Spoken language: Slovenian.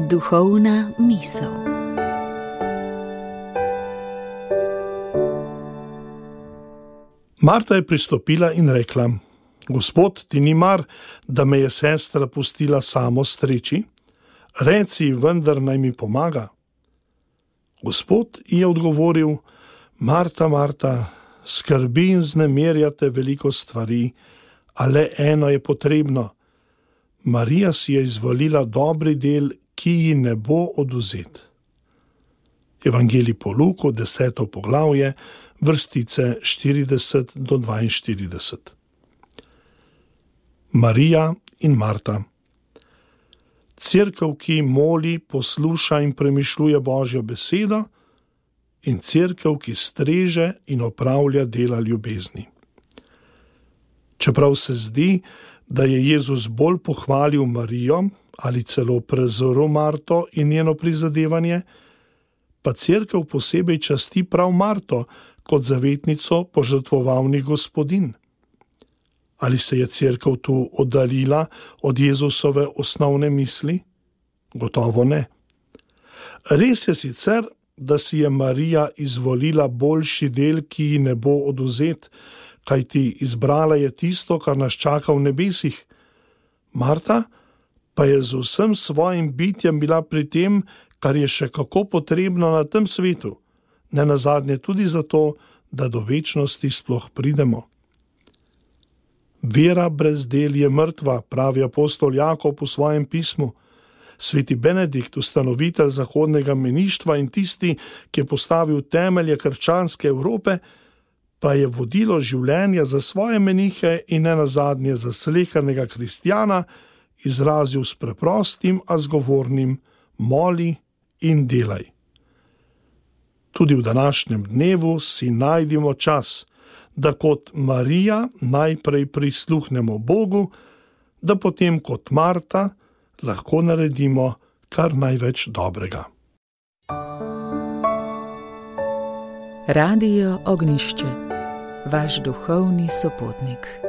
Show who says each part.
Speaker 1: Duhovna misel.
Speaker 2: Marta je pristopila in rekla: Gospod, ti ni mar, da me je sestra pustila samo streči? Reci, vendar naj mi pomaga. Gospod ji je odgovoril: Marta, Marta, skrbi in vznemirjate veliko stvari, a le eno je potrebno. Marija si je izvolila dobri del, ki ji ne bo odvzet. Evangelij po Luku, 10. poglavje, vrstice 40 do 42. Marija in Marta. Cerkev, ki moli, posluša in premišljuje Božjo besedo, in cerkev, ki streže in opravlja dela ljubezni. Čeprav se zdi, da je Jezus bolj pohvalil Marijo ali celo prezrl Marto in njeno prizadevanje, pa cerkev posebej časti prav Marto kot zavetnico požrtvovalnih gospodinj. Ali se je cerkev tu oddaljila od Jezusove osnovne misli? Gotovo ne. Res je sicer, da si je Marija izvolila boljši del, ki ji ne bo odvzet, kajti izbrala je tisto, kar nas čaka v nebesih. Marta pa je z vsem svojim bitjem bila pri tem, kar je še kako potrebno na tem svetu, nenazadnje tudi zato, da do večnosti sploh pridemo. Vera brez del je mrtva, pravi apostol Jakob v svojem pismu. Sveti Benedikt, ustanovitelj zahodnega meništva in tisti, ki je postavil temelje krščanske Evrope, pa je vodilo življenja za svoje menihe in nenazadnje za slehernega kristjana izrazil s preprostim, a zgovornim: moli in delaj. Tudi v današnjem dnevu si najdimo čas, da kot Marija najprej prisluhnemo Bogu, da potem kot Marta lahko naredimo kar največ dobrega.
Speaker 1: Radio Ognjišče, vaš duhovni sopotnik.